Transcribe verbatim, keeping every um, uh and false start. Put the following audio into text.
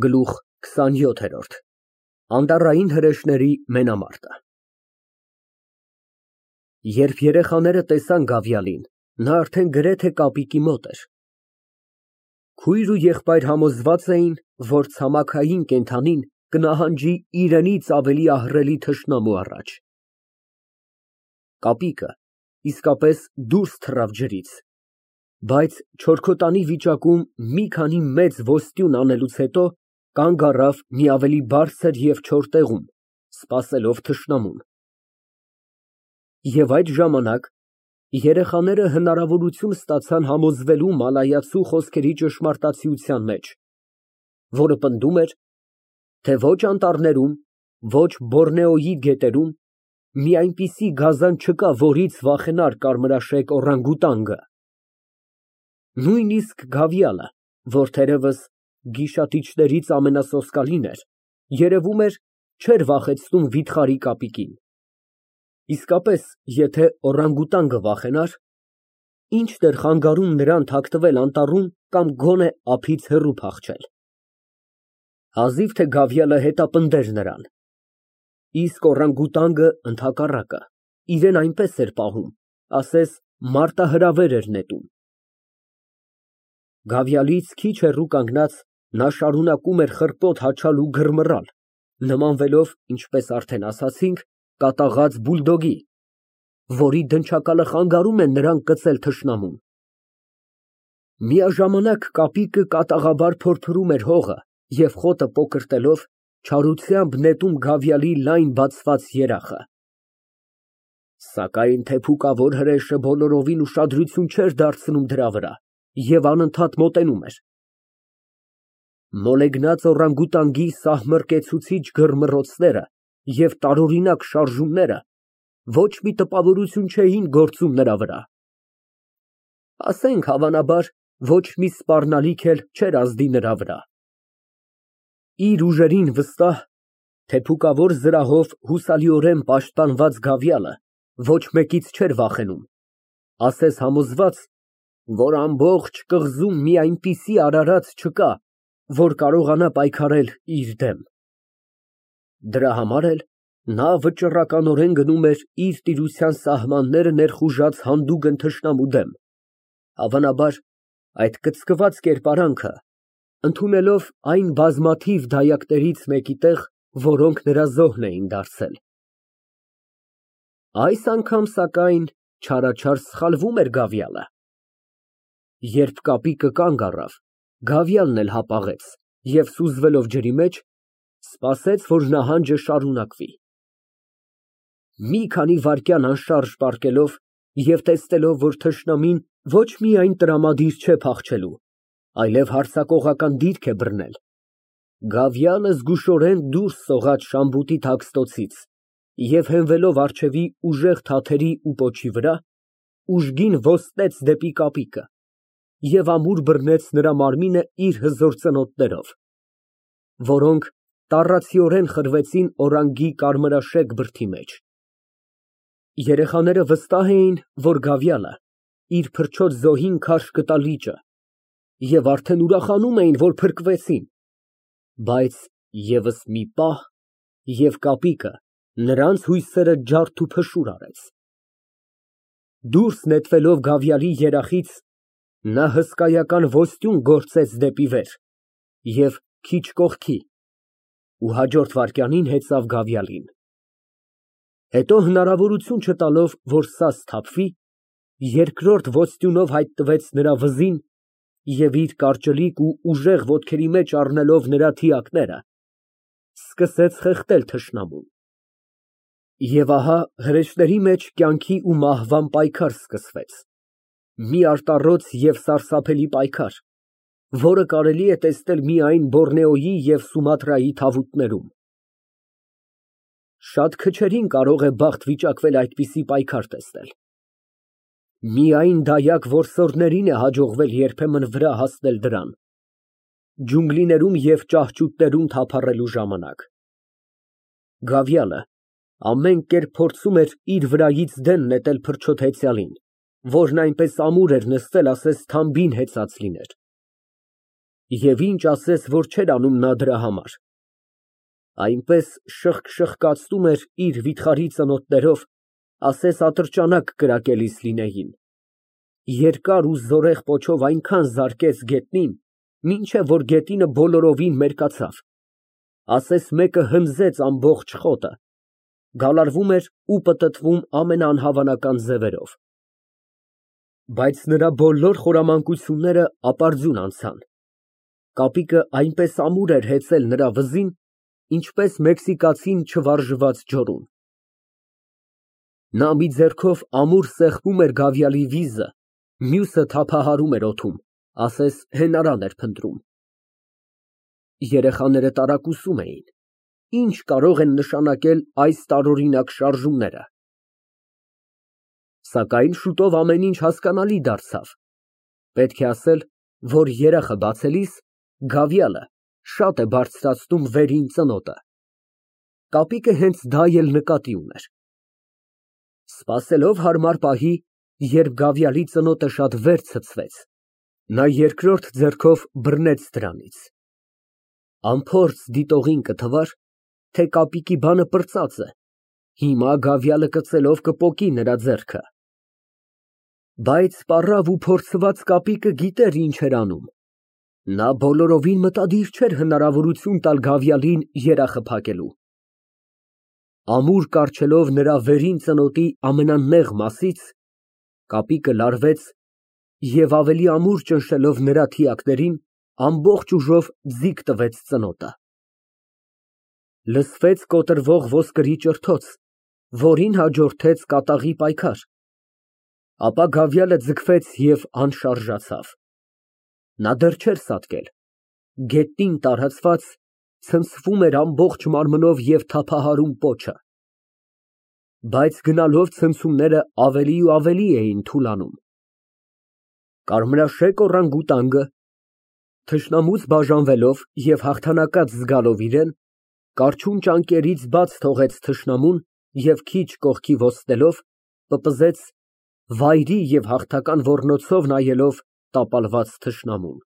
Գլուխ քսանյոթ։ Անտառային հրեշների մենամարտը Երբ երեխաները տեսան Գավիալին, նա արդեն գրեթե կապիկի մոտ էր։ Քույր ու եղբայր համոզված էին, որ ցամաքային կենդանին կնահանջի իրենից ավելի ահռելի թշնամու առաջ։ Կապիկը իսկապես դուրս թռավ ջրից, բայց չորքոտանի վիճակում մի քանի մեծ ոստյուն անելուց հետո կանգ առավ մի ավելի բարձր և չոր տեղում, սպասելով թշնամուն։ Եվ այդ ժամանակ երեխաները հնարավորություն ստացան համոզվելու մալայացու խոսքերի ճշմարտացիության մեջ, որը պնդում էր, թե ոչ անտառներում, ոչ Բորնեոյի գետերում մի այնպիսի գազան չկա, որից վախենար կարմրաշեկ օռանգուտանգը։ Նույնիսկ Գավիալը, որ թերևս գիշատիչներից ամենասոսկալին էր, երևում էր, չէր վախեցնում վիթխարի կապիկին։ Իսկապես, եթե օռանգուտանգը վախենար, ի՞նչ էր խանգարում նրան թաքնվել անտառում կամ գոնե ափից հեռու փախչել։ Հազիվ թե Գավիալը հետապնդեր նրան, իսկ օռանգուտանգը, ընդհակառակը, իրեն այնպես էր պահում, ասես մարտահրավեր էր նետում։ Գավիալից քիչ հեռու կանգնած, նա շարունակում էր խռպոտ հաչալ ու գրմռալ, նմանվելով, ինչպես արդեն ասացինք, կատաղած բուլդոգի, որի դնչակալը խանգարում է նրան կծել թշնամուն։ Միաժամանակ կապիկը կատաղաբար փորփրում էր հողը և խոտը պոկրտելով, չարությամբ նետում Գավիալի լայն բացված երախը։ Սակայն թեփուկավոր հրեշը բոլորովին ուշադրություն չէր դարձնում դրա վրա և անընդհատ մոտենում էր։ Մոլեգնած օռանգուտանգի սահմռկեցուցիչ գրմռոցները և տարօրինակ շարժումները ոչ մի տպավորություն չէին գործում նրա վրա։ Ասենք, հավանաբար, ոչ մի սպառնալիք էլ չէր ազդի նրա վրա։ Իր ուժերին վստահ, թեփուկավոր զրահով հուսալիորեն պաշտպանված Գավիալը ոչ մեկից չէր վախենում, ասես համոզված, որ ամբողջ կղզում մի այնպիսի արարած չկա, որ կարողանա պայքարել իր դեմ։ Դրա համար էլ նա վճռականորեն գնում էր իր տիրության սահմանները ներխուժած հանդուգն թշնամու դեմ, հավանաբար, այդ կծկված կերպարանքը ընդունելով այն բազմաթիվ դայակներից մեկի տեղ, որոնք նրա զոհն էին դարձել։ Այս անգամ, սակայն, չարաչար սխալվում էր Գավիալը։ Երբ կապիկը կանգ առավ, Գավիալն էլ հապաղեց և, սուզվելով ջրի մեջ, սպասեց, որ նահանջը շարունակվի։ Մի քանի վայրկյան անշարժ պառկելով և տեսնելով, որ թշնամին ոչ միայն տրամադիր չէ փախչելու, այլև հարձակողական դիրք է բռնել, Գավիալը զգուշորեն դուրս սողաց շամբուտի թաքստոցից և հենվելով առջևի ուժեղ թաթերի ու պոչի վրա, ուժգին ոստեց դեպի կապիկը և ամուր բռնեց նրա մարմինը իր հզոր ծնոտներով, որոնք տառացիորեն խրվեցին օրանգի կարմրաշեկ բրդի մեջ։ Երեխաները վստահ էին, որ Գավիալը իր փրչոտ զոհին քարշ կտա լիճը և արդեն ուրախանում էին, որ փրկվեցին, բայց ևս մի պահ, և կապիկը նրանց հույսերը ջարդ ու փշուր արեց։ Դուրս նետվելով Գավիալի երախից, նա հսկայական ոստյուն գործեց դեպի վեր և քիչ կողքի ու հաջորդ վայրկյանին հեծավ Գավիալին։ Հետո հնարավորություն չտալով, որ սա սթափվի, երկրորդ ոստյունով հայտնվեց նրա վզին և իր կարճլիկ ու ուժեղ ոտքերի մեջ առնելով նրա թիակները, սկսեց խեղդել թշնամուն։ Եվ ահա հրեշների մեջ կյանքի ու մահվան պայքար սկսվեց, մի արտառոց և սարսափելի պայքար, որը կարելի է տեսնել միայն Բորնեոյի և Սումատրայի թավուտներում։ Շատ քչերին կարող է բախտ վիճակվել այդպիսի պայքար տեսնել։ Միայն դայակ որսորդներին է հաջողվել երբեմն վրա հասնել դրան, ջունգլիներում և ճահճուտներում թափառելու ժամանակ։ Գավիալը ամեն կերպ փորձում էր իր վրայից դեն նետել փրչոտ հեծյալին, որն այնպես ամուր էր նստել, ասես թամբին հեծած լիներ։ Եվ ինչ ասես, որ չէր անում նա դրա համար։ Այնպես շըխկ֊շըխկացնում էր իր վիթխարի ծնոտներով, ասես ատրճանակ կրակելիս լինեին, երկար ու զորեղ պոչով այնքան զարկեց գետնին, մինչև որ գետինը բոլորովին մերկացավ, ասես մեկը հնձեց ամբողջ խոտը, գալարվում էր ու պտտվում ամենաանհավանական ձևերով։ Բայց նրա բոլոր խորամանկությունները ապարդյուն անցան, կապիկը այնպես ամուր էր հեծել նրա վզին, ինչպես մեքսիկացին չվարժված ջորուն։ Նա մի ձեռքով ամուր սեղմում էր գավիալի վիզը, մյուսը թափահարում էր օդում, ասես հենարան էր փնտրում։ Երեխաները տարակուսում էին, ինչ կարող են նշանակել այս տարօրինակ շարժումները։ Սակայն շուտով ամեն ինչ հասկանալի դարձավ, պետք է ասել, որ երախը բացելիս գավիալը շատ է բարձրացնում վերին ծնոտը։ Կապիկը հենց դա էլ նկատի ուներ։ Սպասելով հարմար պահի, երբ գավիալի ծնոտը շատ վեր ցցվեց, նա երկրորդ ձեռքով բռնեց դրանից։ Անփորձ դիտողին կթվար, թե կապիկի բանը պրծած է, հիմա գավիալը կծելով կպոկի նրա ձեռքը։ Բայց պառավ ու փորձված կապիկը գիտեր ինչ էր անում։ Նա բոլորովին մտադիր չէր հնարավորություն տալ գավիալին երախը փակելու։ Ամուր կառչելով նրա վերին ծնոտի ամենանեղ մասից, կապիկը լարվեց և ավելի ամուր ճնշելով նրա թիակներին, ամբողջ ուժով ձիգ տվեց ծնոտը։ Լսվեց կոտրվող ոսկրի ճրթոց, որին հաջորդեց կատաղի պայքար, ապա գավիալը ձգվեց և անշարժացավ։ Նա դեռ չէր սատկել, գետնին տարածված ցնցվում էր ամբողջ մարմնով և թափահարում պոչը։ Բայց գնալով ցնցումները ավելի ու ավելի էին թուլանում։ Կարմրաշեկ օռանգուտանգը, թշնամուց բաժանվելով և հաղթանակած զգալով իրեն, կառչուն ճանկերից բաց թողեց թշնամուն և քիչ կողքի ոտցնելով, պպզեց, վայրի և հաղթական ոռնոցով նայելով տապալված թշնամուն։